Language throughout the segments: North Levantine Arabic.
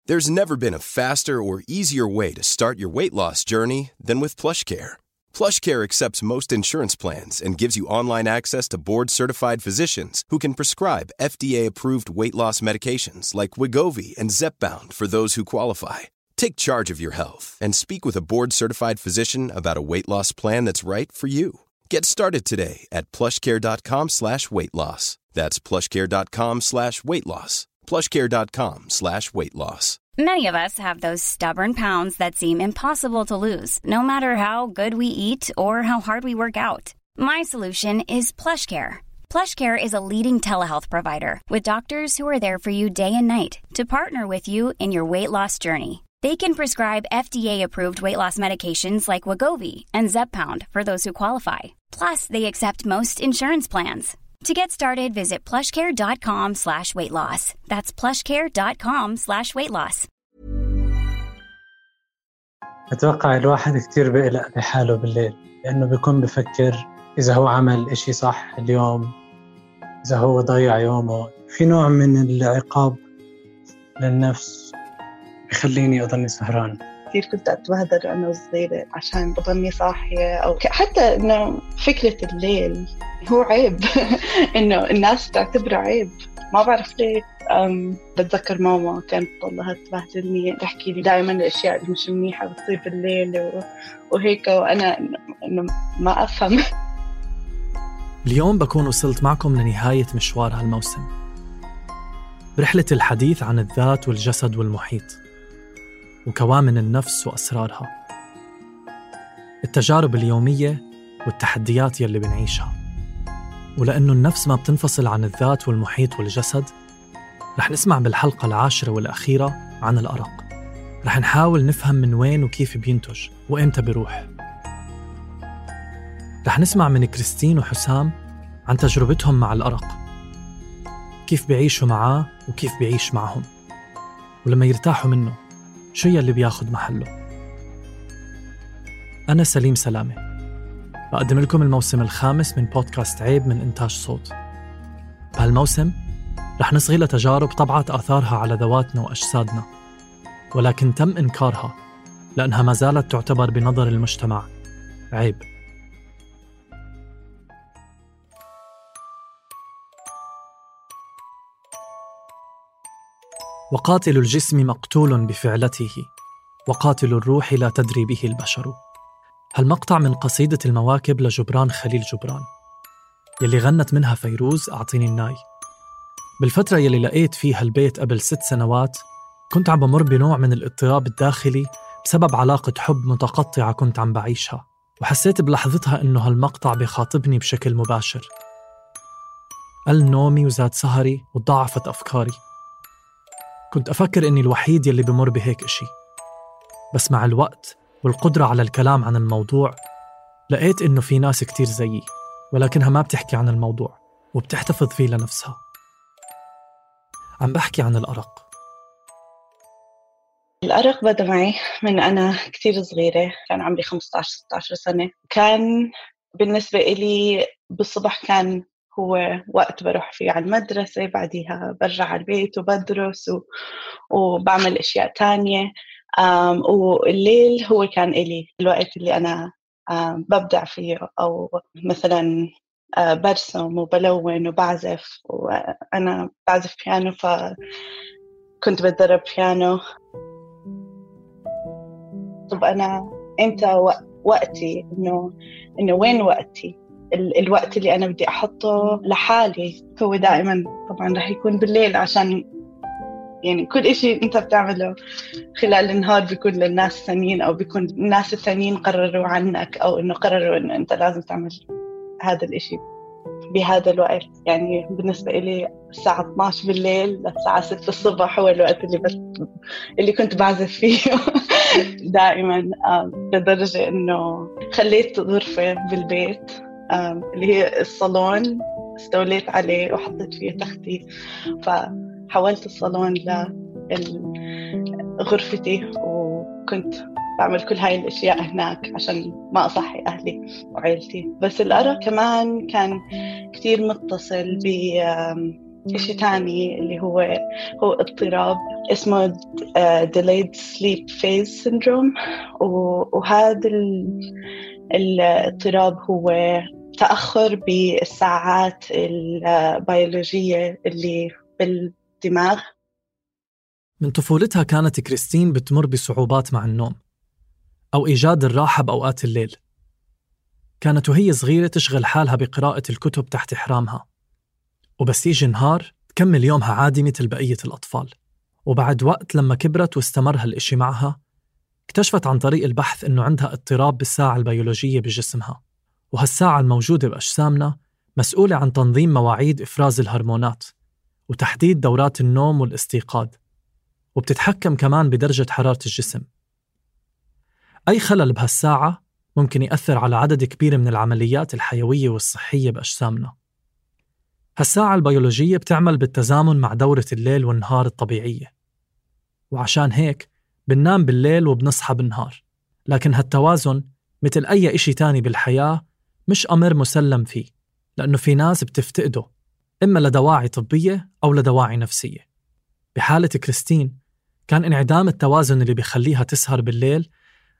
There's never been a faster or easier way to start your weight loss journey than with PlushCare. PlushCare accepts most insurance plans and gives you online access to board-certified physicians who can prescribe FDA-approved weight loss medications like Wegovy and Zepbound for those who qualify. Take charge of your health and speak with a board-certified physician about a weight loss plan that's right for you. Get started today at plushcare.com/weight-loss. That's plushcare.com/weight-loss. plushcare.com/weight-loss. Many of us have those stubborn pounds that seem impossible to lose, no matter how good we eat or how hard we work out. My solution is PlushCare. PlushCare is a leading telehealth provider with doctors who are there for you day and night to partner with you in your weight loss journey. They can prescribe FDA-approved weight loss medications like Wegovy and Zepbound for those who qualify. Plus, they accept most insurance plans. To get started, visit plushcare.com/weight-loss. That's plushcare.com/weight-loss. أتوقع الواحد كتير بيقلق بحاله بالليل، لأنه بيكون بفكر إذا هو عمل إشي صح اليوم، إذا هو ضيع يومه. في نوع من العقاب للنفس بخليني أضلني سهران. كثير كنت أتبهدل وأنا صغيرة عشان أضلني صاحية، أو حتى إنه فكرة الليل هو عيب إنه الناس تعتبره عيب. ما بعرف ليه. بتذكر ماما كانت تضلها تبهدلني، تحكي لي دائما الأشياء اللي مش منيحة بتصير بالليل وهيك، وأنا إنه ما أفهم. اليوم بكون وصلت معكم لنهاية مشوار هالموسم برحلة الحديث عن الذات والجسد والمحيط وكوامن النفس وأسرارها، التجارب اليومية والتحديات يلي بنعيشها. ولأنه النفس ما بتنفصل عن الذات والمحيط والجسد، رح نسمع بالحلقة 10 والأخيرة عن الأرق. رح نحاول نفهم من وين وكيف بينتج وإمتى بيروح. رح نسمع من كريستين وحسام عن تجربتهم مع الأرق، كيف بيعيشوا معاه وكيف بيعيش معهم، ولما يرتاحوا منه شو يلي بياخد محله. أنا سليم سلامة، بقدم لكم الموسم الخامس من بودكاست عيب من إنتاج صوت. بهالموسم رح نصغي لتجارب طبعت آثارها على ذواتنا وأجسادنا، ولكن تم إنكارها لأنها ما زالت تعتبر بنظر المجتمع عيب. وقاتل الجسم مقتول بفعلته، وقاتل الروح لا تدري به البشر. هالمقطع من قصيدة المواكب لجبران خليل جبران يلي غنت منها فيروز أعطيني الناي. بالفترة يلي لقيت فيها البيت قبل 6 سنوات كنت عم بمر بنوع من الاضطراب الداخلي بسبب علاقة حب متقطعة كنت عم بعيشها، وحسيت بلحظتها إنه هالمقطع بيخاطبني بشكل مباشر. قل نومي وزاد سهري وضعفت أفكاري. كنت أفكر إني الوحيد يلي بمر بهيك إشي، بس مع الوقت والقدرة على الكلام عن الموضوع لقيت إنه في ناس كتير زيي، ولكنها ما بتحكي عن الموضوع وبتحتفظ فيه لنفسها. عم بحكي عن الأرق. الأرق بدأ معي من أنا كتير صغيرة، كان عمري 15-16 سنة. كان بالنسبة إلي بالصبح كان هو وقت بروح فيه على المدرسة، بعديها برجع على البيت وبدرس وبعمل أشياء تانية. والليل هو كان إلي الوقت اللي أنا ببدع فيه، أو مثلا برسم وبلون وبعزف، وأنا بعزف بيانو فكنت بتدرب بيانو. طب أنا إمتى وقتي؟ إنه وين وقتي؟ الوقت اللي أنا بدي أحطه لحالي هو دائما طبعا رح يكون بالليل، عشان يعني كل إشي أنت بتعمله خلال النهار بيكون للناس الثانيين، أو بيكون الناس الثانيين قرروا عنك، أو إنه قرروا إنه أنت لازم تعمل هذا الإشي بهذا الوقت. يعني بالنسبة إلي الساعة 12 بالليل للساعة 6 الصبح هو الوقت اللي كنت بعزف فيه دائما. لدرجة إنه خليت غرفة بالبيت اللي هي الصالون، استوليت عليه وحطيت فيه تختي، فحولت الصالون لغرفتي، وكنت بعمل كل هاي الأشياء هناك عشان ما أصحي أهلي وعائلتي. بس الأرق كمان كان كتير متصل إشي تاني اللي هو اضطراب اسمه delayed sleep phase syndrome. وهذا الاضطراب هو تأخر بالساعات البيولوجية اللي بالدماغ. من طفولتها كانت كريستين بتمر بصعوبات مع النوم أو إيجاد الراحة بأوقات الليل. كانت وهي صغيرة تشغل حالها بقراءة الكتب تحت إحرامها، وبس يجي نهار تكمل يومها عادي مثل بقية الأطفال. وبعد وقت لما كبرت واستمر هالإشي معها، اكتشفت عن طريق البحث إنه عندها اضطراب بالساعة البيولوجية بجسمها، وهالساعة الموجودة بأجسامنا مسؤولة عن تنظيم مواعيد إفراز الهرمونات وتحديد دورات النوم والاستيقاظ، وبتتحكم كمان بدرجة حرارة الجسم. أي خلل بهالساعة ممكن يأثر على عدد كبير من العمليات الحيوية والصحية بأجسامنا. هالساعة البيولوجية بتعمل بالتزامن مع دورة الليل والنهار الطبيعية، وعشان هيك بننام بالليل وبنصحى بالنهار. لكن هالتوازن مثل أي إشي تاني بالحياة مش أمر مسلم فيه، لأنه في ناس بتفتقده إما لدواعي طبية أو لدواعي نفسية. بحالة كريستين كان انعدام التوازن اللي بيخليها تسهر بالليل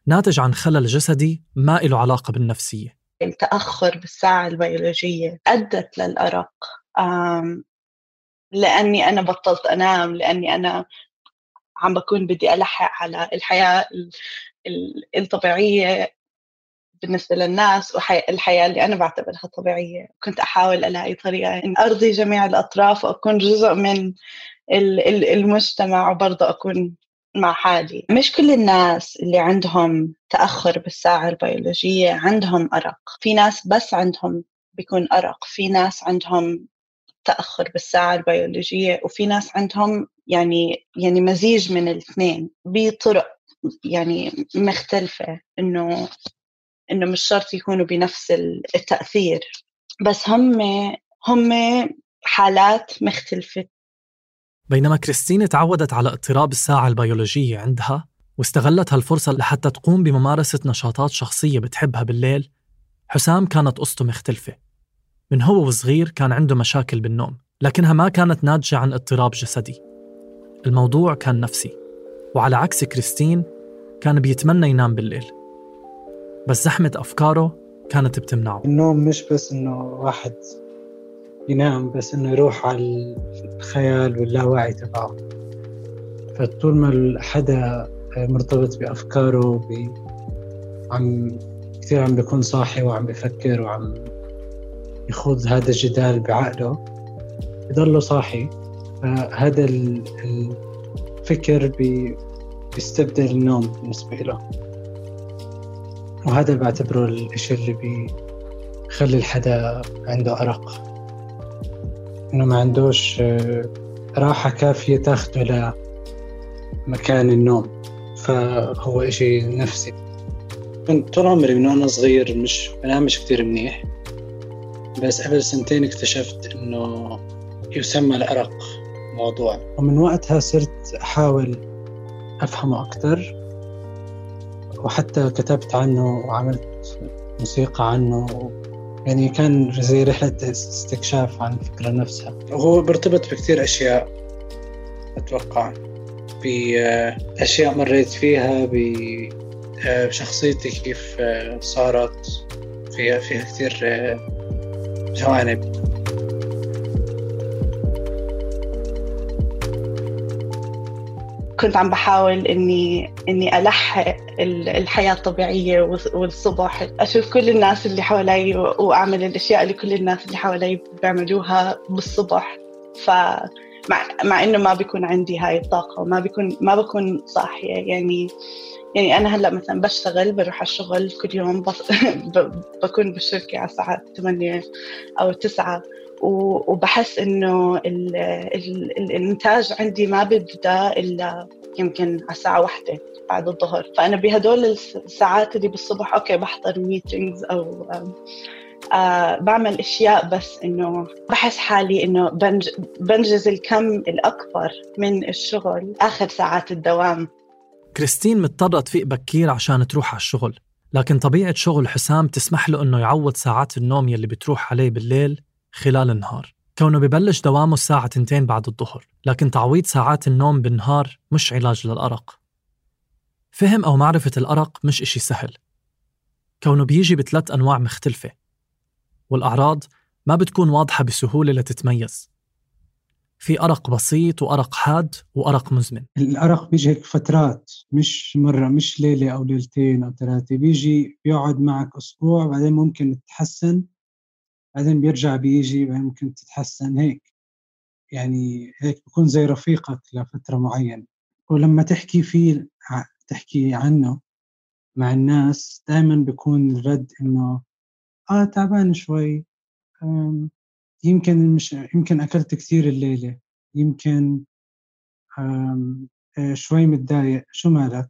ناتج عن خلل جسدي ما إله علاقة بالنفسية. التأخر بالساعة البيولوجية أدت للأرق، لأني أنا بطلت أنام، لأني أنا عم بكون بدي ألحق على الحياة الطبيعية بالنسبة للناس والحياة اللي أنا بعتبرها طبيعية. كنت أحاول ألاقي طريقة إن أرضي جميع الأطراف وأكون جزء من المجتمع وبرضه أكون مع حالي. مش كل الناس اللي عندهم تأخر بالساعة البيولوجية عندهم أرق. في ناس بس عندهم بيكون أرق، في ناس عندهم تأخر بالساعة البيولوجية، وفي ناس عندهم يعني مزيج من الاثنين بطرق يعني مختلفة، إنه مش شرط يكونوا بنفس التأثير، بس هم حالات مختلفة. بينما كريستين تعودت على اضطراب الساعة البيولوجية عندها واستغلت هالفرصة لحتى تقوم بممارسة نشاطات شخصية بتحبها بالليل، حسام كانت قصته مختلفة. من هو وصغير كان عنده مشاكل بالنوم، لكنها ما كانت ناتجة عن اضطراب جسدي. الموضوع كان نفسي، وعلى عكس كريستين كان بيتمنى ينام بالليل، بس زحمة أفكاره كانت بتمنعه. النوم مش بس إنه واحد ينام، بس إنه يروح على الخيال واللاواعي تبعه. فطول ما حدا مرتبط بأفكاره كثير عم بيكون صاحي وعم بيفكر وعم يخوض هذا الجدال بعقله، يضله صاحي. فهذا الفكر بيستبدل النوم بالنسبة له، وهذا بعتبره الإشي اللي بيخلي الحدا عنده أرق، إنه ما عندوش راحة كافية تاخده لمكان النوم. فهو إشي نفسي. كنت طول عمري من وأنا صغير مش بنامش كتير منيح، بس قبل 2 اكتشفت إنه يسمى الأرق موضوع، ومن وقتها صرت أحاول أفهمه أكتر، وحتى كتبت عنه وعملت موسيقى عنه. يعني كان زي رحلة استكشاف عن الفكرة نفسها. وهو برتبط بكتير أشياء، أتوقع بأشياء مريت فيها، بشخصيتي كيف صارت فيها كتير جوانب. كنت عم بحاول إني ألحق الحياة الطبيعية والصبح، أشوف كل الناس اللي حوالي وأعمل الأشياء اللي كل الناس اللي حوالي بيعملوها بالصبح. مع إنه ما بيكون عندي هاي الطاقة وما بكون صاحية. يعني أنا هلأ مثلا بشتغل، بروح على الشغل كل يوم، بكون بالشركة على الساعة 8 أو 9، وبحس إنه الإنتاج عندي ما بيبدأ إلا يمكن على الساعة 1 بعد الظهر. فأنا بهدول الساعات اللي بالصبح أوكي بحضر ميتينجز أو بعمل أشياء، بس إنه بحس حالي إنه بنجز الكم الأكبر من الشغل آخر ساعات الدوام. كريستين مضطرة تفيق بكير عشان تروح على الشغل، لكن طبيعة شغل حسام تسمح له إنه يعوض ساعات النوم يلي بتروح عليه بالليل خلال النهار. كونه ببلش دوامه الساعة 2 بعد الظهر، لكن تعويض ساعات النوم بالنهار مش علاج للأرق. فهم أو معرفة الأرق مش إشي سهل، كونه بيجي ب3 أنواع مختلفة، والأعراض ما بتكون واضحة بسهولة لتتميز. في أرق بسيط وأرق حاد وأرق مزمن. الأرق بيجي هيك فترات، مش مرة، مش ليلة أو ليلتين أو 3، بيجي بيقعد معك أسبوع، بعدين ممكن تتحسن، بعدين بيرجع بيجي، بعدين ممكن تتحسن هيك. يعني هيك بيكون زي رفيقك لفترة معينة. ولما تحكي فيه، تحكي عنه مع الناس، دائما بيكون الرد إنه تعبان شوي، يمكن أكلت كثير الليلة، يمكن شوي متضايق، شو مالك؟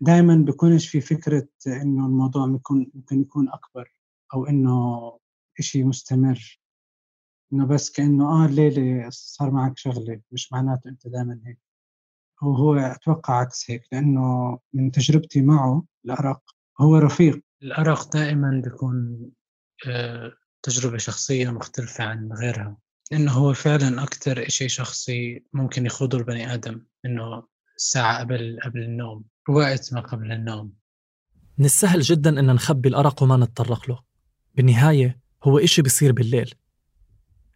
دائما بيكونش في فكرة إنه الموضوع ممكن يكون أكبر، أو إنه إشي مستمر، إنه بس كأنه الليلة صار معك شغلة، مش معناته أنت دائما هيك. هو أتوقع عكس هيك، لأنه من تجربتي معه الأرق هو رفيق. الأرق دائما بيكون تجربة شخصية مختلفة عن غيرها، لأنه هو فعلا أكتر إشي شخصي ممكن يخوضه البني آدم، إنه الساعة قبل النوم، وقت ما قبل النوم. من السهل جدا إن نخبي الأرق وما نتطرق له. بالنهاية هو إشي بيصير بالليل،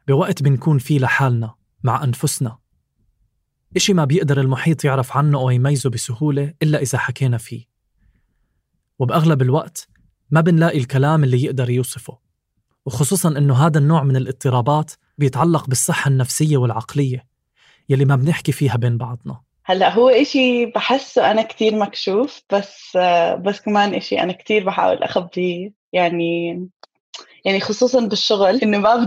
بوقت بنكون فيه لحالنا مع أنفسنا، إشي ما بيقدر المحيط يعرف عنه أو يميزه بسهولة إلا إذا حكينا فيه، وبأغلب الوقت ما بنلاقي الكلام اللي يقدر يوصفه، وخصوصاً إنه هذا النوع من الاضطرابات بيتعلق بالصحة النفسية والعقلية يلي ما بنحكي فيها بين بعضنا. هلأ هو إشي بحسه أنا كتير مكشوف، بس كمان إشي أنا كتير بحاول أخبيه، يعني خصوصاً بالشغل، إنه ما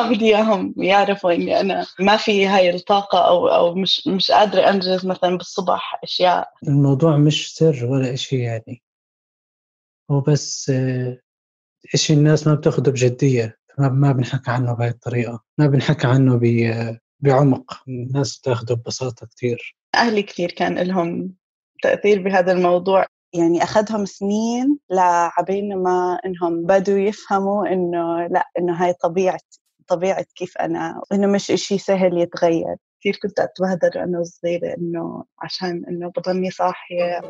بدي إياهم يعرفوا إني أنا ما في هاي الطاقة، أو مش قادرة أنجز مثلاً بالصبح أشياء. الموضوع مش سر ولا إشي، يعني هو بس إشي الناس ما بتاخده بجدية، ما بنحكي عنه بهاي الطريقة، ما بنحكي عنه بعمق، الناس تاخده ببساطة كتير. أهلي كتير كان لهم تأثير بهذا الموضوع، يعني أخذهم سنين لعبين ما إنهم بدوا يفهموا إنه لا، إنه هاي طبيعة كيف أنا، إنه مش إشي سهل يتغير. كتير كنت أتبهدل أنا صغيرة، إنه عشان إنه بضلني صاحية،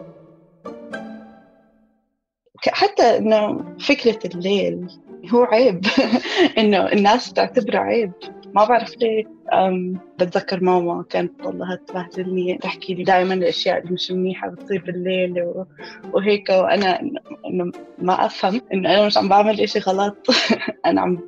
حتى إنه فكرة الليل هو عيب. إنه الناس تعتبره عيب، ما بعرف ليه. بتذكر ماما كانت والله تبهدلني، تحكي لي دائما الأشياء اللي مش منيحة بتصير بالليل وهيك، وأنا إنه ما أفهم إنه أنا مش عم بعمل إشي غلط. أنا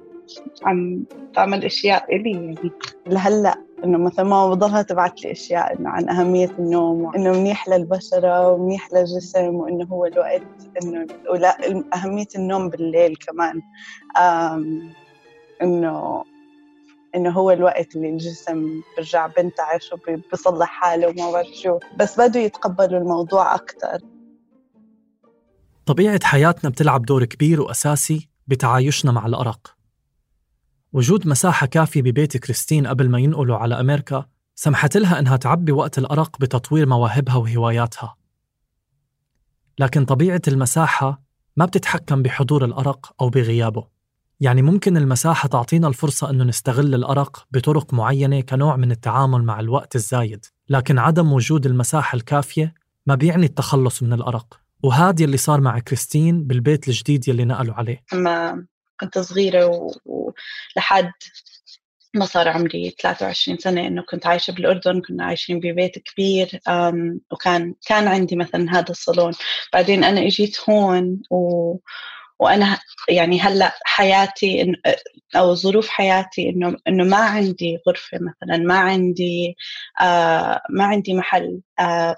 عم بعمل أشياء إلي، يعني لهلأ إنه مثلا ما بضلها تبعت لي أشياء إنه عن أهمية النوم، وإنه منيح للبشرة ومنيح للجسم، وإنه هو الوقت إنه ولا أهمية النوم بالليل كمان، إنه هو الوقت اللي الجسم برجع بنتعش وبيصلح حاله وما بعرف شو، بس بدوا يتقبلوا الموضوع أكتر. طبيعة حياتنا بتلعب دور كبير وأساسي بتعايشنا مع الأرق. وجود مساحة كافية ببيت كريستين قبل ما ينقلوا على أمريكا سمحت لها إنها تعبي وقت الأرق بتطوير مواهبها وهواياتها. لكن طبيعة المساحة ما بتتحكم بحضور الأرق أو بغيابه. يعني ممكن المساحة تعطينا الفرصة إنه نستغل الأرق بطرق معينة كنوع من التعامل مع الوقت الزايد، لكن عدم وجود المساحة الكافية ما بيعني التخلص من الأرق. وهذا اللي صار مع كريستين بالبيت الجديد يلي نقلوا عليه. لما كنت صغيرة ولحد ما صار عمري 23 سنة، إنه كنت عايشة بالأردن، كنا عايشين ببيت كبير، وكان عندي مثلا هذا الصالون. بعدين أنا إجيت هون وأنا يعني هلأ حياتي أو ظروف حياتي إنه ما عندي غرفة مثلا، ما عندي محل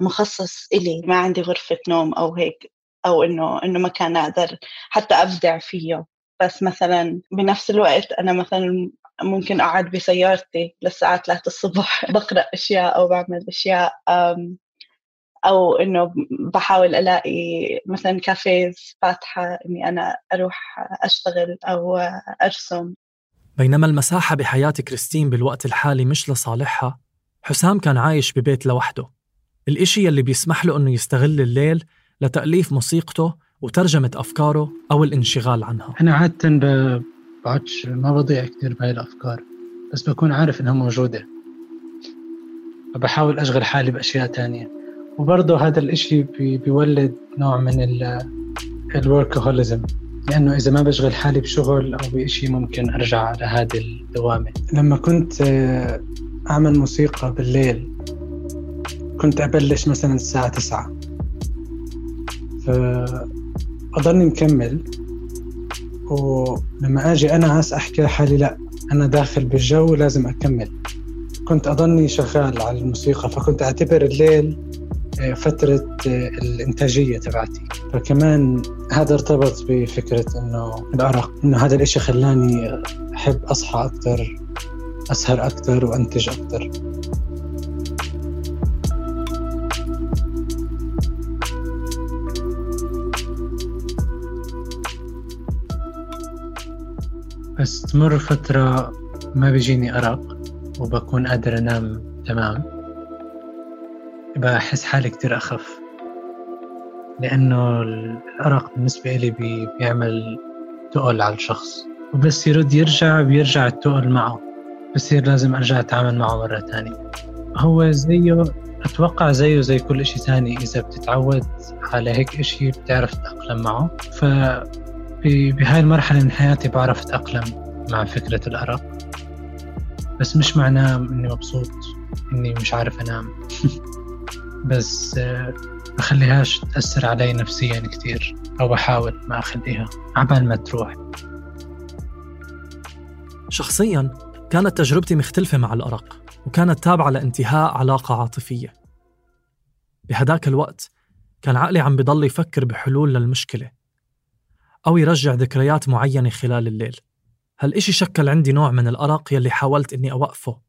مخصص إلي، ما عندي غرفة نوم أو هيك، أو إنه مكان أقدر حتى أبدع فيه. بس مثلا بنفس الوقت أنا مثلا ممكن أقعد بسيارتي للساعة 3 الصبح بقرأ أشياء أو بعمل أشياء، أو إنه بحاول ألاقي مثلا كافيز فاتحة إني أنا أروح أشتغل أو أرسم. بينما المساحة بحياة كريستين بالوقت الحالي مش لصالحها، حسام كان عايش ببيت لوحده، الإشي اللي بيسمح له إنه يستغل الليل لتأليف موسيقته وترجمة أفكاره أو الانشغال عنها. أنا عادة ما بضيع كتير بهاي الأفكار، بس بكون عارف إنها موجودة، فبحاول أشغل حالي بأشياء تانية. وبرضه هذا الإشي بيولد نوع من الوركهوليزم، لأنه إذا ما بشغل حالي بشغل أو بإشي ممكن أرجع على هذه الدوامة. لما كنت أعمل موسيقى بالليل كنت أبلش مثلا الساعة 9، فأضلني مكمل، ولما أجي أنا عاس أحكي لحالي لا أنا داخل بالجو لازم أكمل، كنت أضلني شغال على الموسيقى. فكنت أعتبر الليل فترة الإنتاجية تبعتي. فكمان هذا ارتبط بفكرة إنه الأرق، إنه هذا الإشي خلاني أحب أصحى أكتر، أسهر أكتر وأنتج أكتر. بس تمر فترة ما بيجيني أرق وبكون قادر أنام تمام، بحس حالي كتير أخف، لأنه الأرق بالنسبة لي بيعمل تقل على الشخص، وبس يرد بيرجع التقل معه، بصير لازم أرجع أتعامل معه مرة تانية. هو زيه، أتوقع زيه زي كل إشي تاني، إذا بتتعود على هيك إشي بتعرف تتأقلم معه. بهاي المرحلة من حياتي بعرف أتأقلم مع فكرة الأرق، بس مش معناه إني مبسوط إني مش عارف أنام بس بخليهاش تأثر علي نفسيا كتير، أو بحاول ما أخليها عبال ما تروح. شخصيا كانت تجربتي مختلفة مع الأرق، وكانت تابعة لانتهاء علاقة عاطفية. بهداك الوقت كان عقلي عم بضل يفكر بحلول للمشكلة أو يرجع ذكريات معينة خلال الليل. هالإشي شكل عندي نوع من الأرق يلي حاولت إني أوقفه،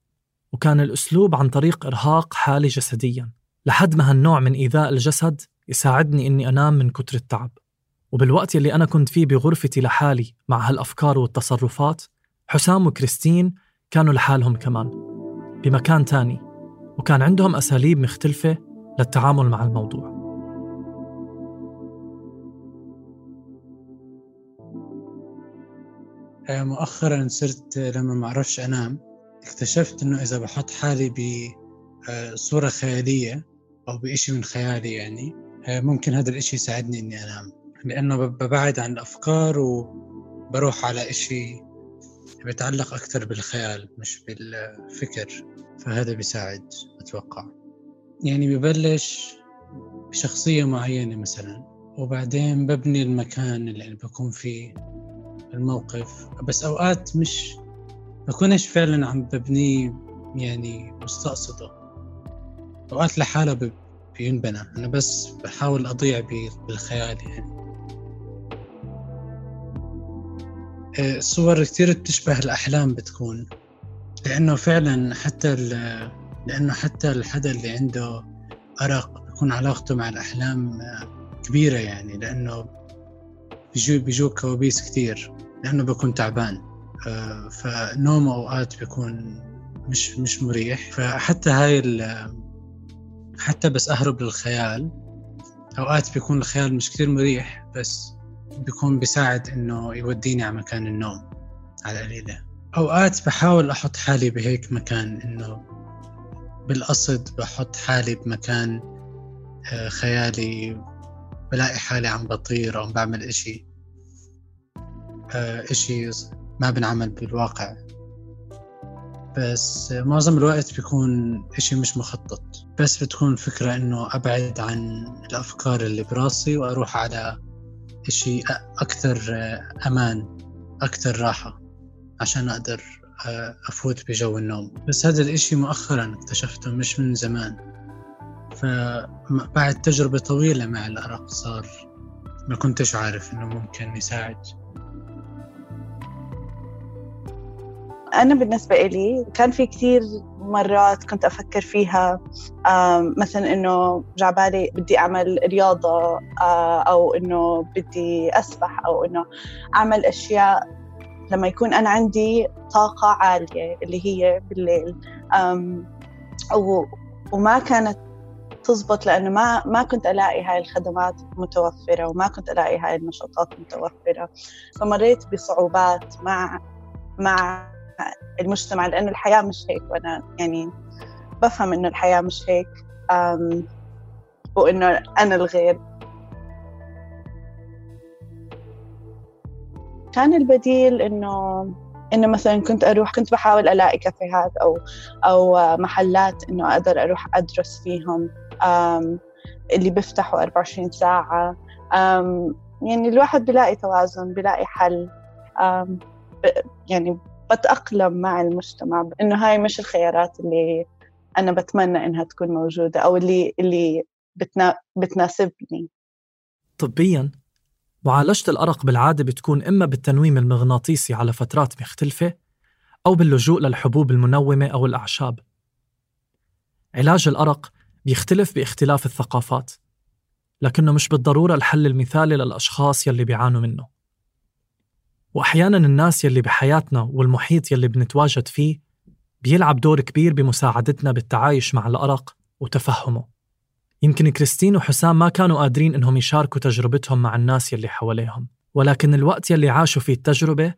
وكان الأسلوب عن طريق إرهاق حالي جسدياً، لحد ما هالنوع من إيذاء الجسد يساعدني إني أنام من كتر التعب. وبالوقت يلي أنا كنت فيه بغرفتي لحالي مع هالأفكار والتصرفات، حسام وكريستين كانوا لحالهم كمان بمكان تاني، وكان عندهم أساليب مختلفة للتعامل مع الموضوع. مؤخراً صرت لما ما أعرفش أنام اكتشفت إنه إذا بحط حالي بصورة خيالية أو بإشي من خيالي، يعني ممكن هذا الإشي يساعدني إني أنام، لأنه ببعد عن الأفكار وبروح على إشي بيتعلق أكتر بالخيال مش بالفكر. فهذا بيساعد أتوقع. يعني ببلش بشخصية معينة مثلا، وبعدين ببني المكان اللي بكون فيه، الموقف. بس أوقات مش بكونش فعلا عم ببنيه، يعني مستقصده. أوقات لحالة بينبنى، أنا بس بحاول أضيع بالخيال. يعني الصور كتير تشبه الأحلام بتكون، لأنه فعلا حتى الحدا اللي عنده أرق بيكون علاقته مع الأحلام كبيرة، يعني لأنه بيجو كوابيس كتير، لأنه بيكون تعبان. فنوم أوقات بيكون مش مريح. فحتى حتى بس أهرب للخيال، أوقات بيكون الخيال مش كتير مريح، بس بيكون بيساعد إنه يوديني على مكان النوم على قليلة. أوقات بحاول أحط حالي بهيك مكان، إنه بالقصد بحط حالي بمكان خيالي، بلاقي حالي عم بطير أو بعمل إشي ما بنعمل بالواقع. بس معظم الوقت بيكون إشي مش مخطط، بس بتكون فكرة إنه أبعد عن الأفكار اللي براسي وأروح على إشي أكتر أمان، أكتر راحة، عشان أقدر أفوت بجو النوم. بس هذا الإشي مؤخراً اكتشفته، مش من زمان. فبعد تجربة طويلة مع الأرق صار ما كنتش عارف إنه ممكن يساعد. أنا بالنسبة إلي كان في كتير مرات كنت أفكر فيها، مثلا إنه جعبالي بدي أعمل رياضة، أو إنه بدي أسبح، أو إنه أعمل أشياء لما يكون أنا عندي طاقة عالية اللي هي بالليل. وما كانت تزبط، لأنه ما كنت ألاقي هاي الخدمات متوفرة، وما كنت ألاقي هاي النشاطات متوفرة. فمريت بصعوبات مع المجتمع، لأنه الحياة مش هيك، وأنا يعني بفهم إنه الحياة مش هيك، وإنه أنا الغير. كان البديل إنه مثلاً كنت بحاول ألاقي كافيهات أو محلات إنه أقدر أروح أدرس فيهم، اللي بيفتحوا 24 ساعة. يعني الواحد بيلاقي توازن، بيلاقي حل. يعني بتأقلم مع المجتمع، إنه هاي مش الخيارات اللي أنا بتمنى إنها تكون موجودة أو اللي بتناسبني. طبياً، معالجة الأرق بالعادة بتكون إما بالتنويم المغناطيسي على فترات مختلفة أو باللجوء للحبوب المنومة أو الأعشاب. علاج الأرق بيختلف باختلاف الثقافات، لكنه مش بالضرورة الحل المثالي للأشخاص يلي بيعانوا منه. وأحياناً الناس يلي بحياتنا والمحيط يلي بنتواجد فيه بيلعب دور كبير بمساعدتنا بالتعايش مع الأرق وتفهمه. يمكن كريستين وحسام ما كانوا قادرين إنهم يشاركوا تجربتهم مع الناس يلي حواليهم، ولكن الوقت يلي عاشوا فيه التجربة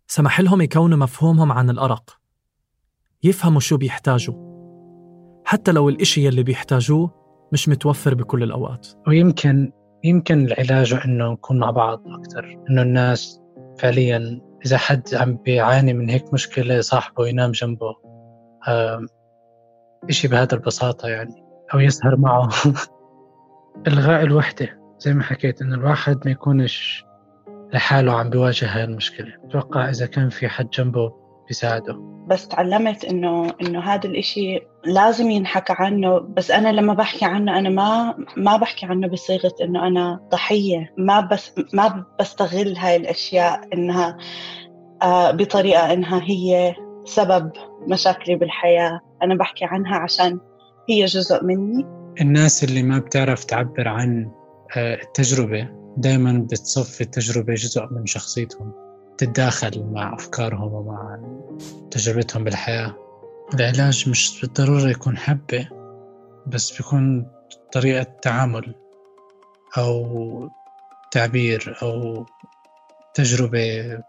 سمح لهم يكونوا مفهومهم عن الأرق، يفهموا شو بيحتاجوا، حتى لو الإشي يلي بيحتاجوه مش متوفر بكل الأوقات. ويمكن العلاج إنه نكون مع بعض أكتر، إنه الناس فعلياً إذا حد عم بيعاني من هيك مشكلة صاحبه ينام جنبه، إشي بهذا البساطة يعني، أو يسهر معه. إلغاء الوحدة زي ما حكيت، إنه الواحد ما يكونش لحاله عم بيواجه هاي المشكلة. أتوقع إذا كان في حد جنبه بيساعده. بس تعلمت إنه هذا الإشي لازم ينحكى عنه. بس أنا لما بحكي عنه أنا ما بحكي عنه بصيغة إنه أنا ضحية. ما بستغل هاي الأشياء إنها بطريقة إنها هي سبب مشاكلي بالحياة. أنا بحكي عنها عشان هي جزء مني. الناس اللي ما بتعرف تعبر عن التجربة دايما بتصفي التجربة جزء من شخصيتهم، تتداخل مع أفكارهم ومع تجربتهم بالحياة. العلاج مش بالضرورة يكون حبة، بس بيكون طريقة تعامل أو تعبير أو تجربة،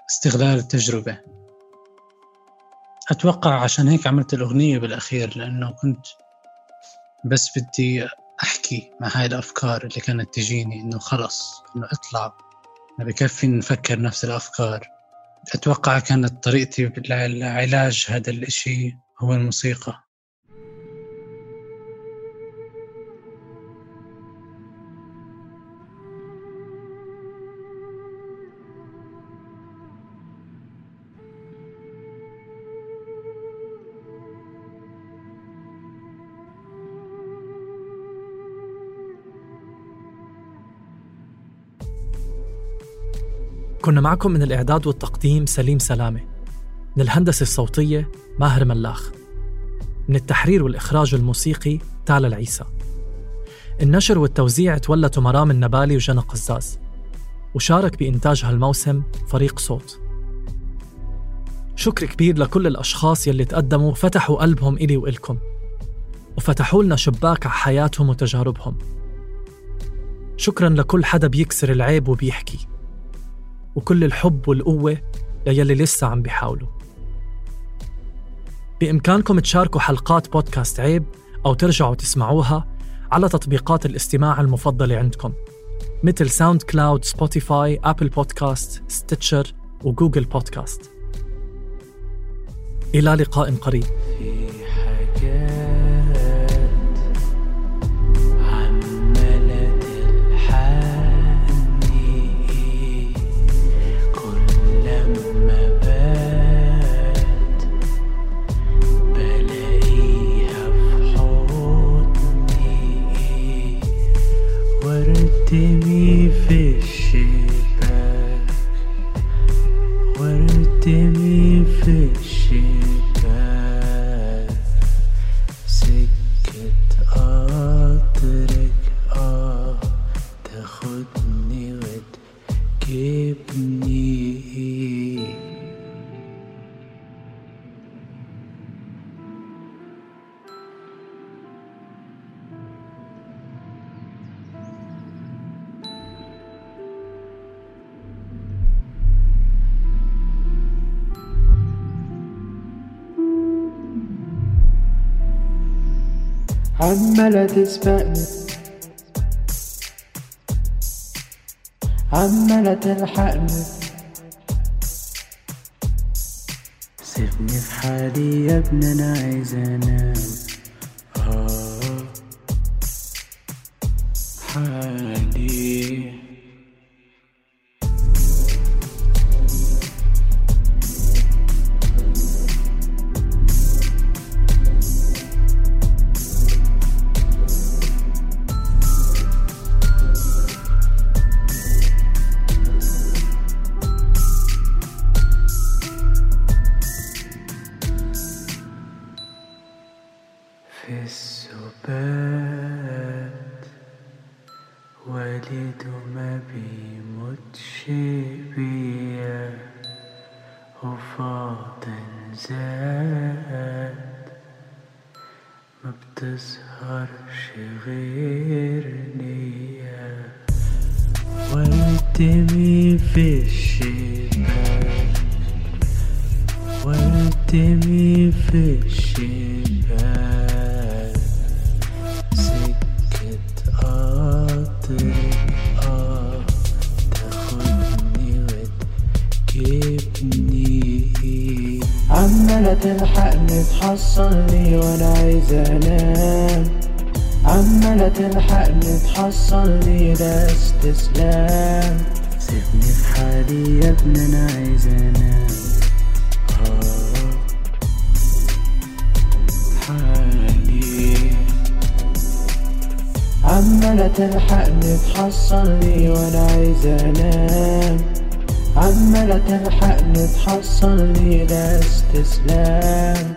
استغلال التجربة. أتوقع عشان هيك عملت الأغنية بالأخير، لأنه كنت بس بدي أحكي مع هاي الأفكار اللي كانت تجيني، إنه خلص إنه اطلع، ما بكفي نفكر نفس الأفكار. أتوقع كانت طريقتي لعلاج هذا الإشي هو الموسيقى. كنا معكم من الإعداد والتقديم سليم سلامة، من الهندسة الصوتية ماهر ملاخ، من التحرير والإخراج الموسيقي تالا العيسى. النشر والتوزيع تولته مرام النبالي وجنى قزاز، وشارك بإنتاج هالموسم فريق صوت. شكر كبير لكل الأشخاص يلي تقدموا فتحوا قلبهم إلي وإلكم، وفتحوا لنا شباك على حياتهم وتجاربهم. شكراً لكل حدا بيكسر العيب وبيحكي، وكل الحب والقوة ليلي لسه عم بيحاولوا. بإمكانكم تشاركوا حلقات بودكاست عيب أو ترجعوا تسمعوها على تطبيقات الاستماع المفضلة عندكم، مثل ساوند كلاود، سبوتيفاي، أبل بودكاست، ستيتشر وجوجل بودكاست. إلى لقاء قريب. وردمي في الشباك، وردمي في الشباك، سكت قطرك تاخدني وتجيبني. عمالة تسبقني عمالة تلحقني سيبني في حالي يا ابني أنا عايز أنام حالي في السبات والد ما بيموتش بيا وفاضل زاد ما بتظهرش غير نية والتمي في الشباك والتمي في الشباك سكة قطر تاخدني وتجيبني عمالة تلحقني تحصلني وانا عايز انام عمالة تلحقني تحصلني ده استسلام سيبني في حالي يا ابني انا عايز انام حالي عمالة تلحقني تحصلني وانا عايز انام عمالة تلحقني تحصلني ده استسلام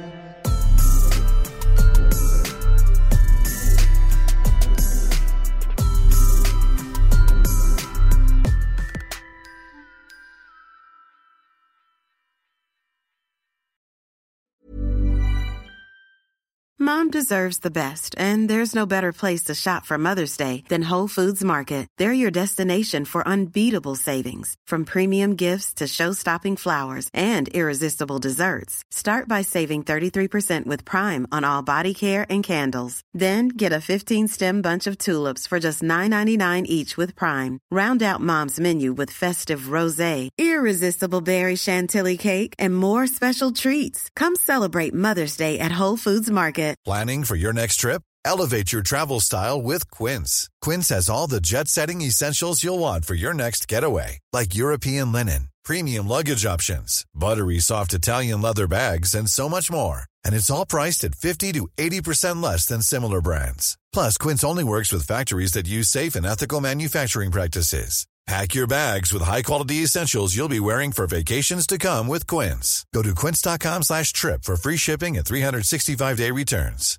Mom deserves the best, and there's no better place to shop for Mother's Day than Whole Foods Market. They're your destination for unbeatable savings, from premium gifts to show-stopping flowers and irresistible desserts. Start by saving 33% with Prime on all body care and candles. Then get a 15-stem bunch of tulips for just $9.99 each with Prime. Round out Mom's menu with festive rosé, irresistible berry chantilly cake, and more special treats. Come celebrate Mother's Day at Whole Foods Market. Planning for your next trip? Elevate your travel style with Quince. Quince has all the jet-setting essentials you'll want for your next getaway, like European linen, premium luggage options, buttery soft Italian leather bags, and so much more. And it's all priced at 50 to 80% less than similar brands. Plus, Quince only works with factories that use safe and ethical manufacturing practices. Pack your bags with high-quality essentials you'll be wearing for vacations to come with Quince. Go to quince.com/trip for free shipping and 365-day returns.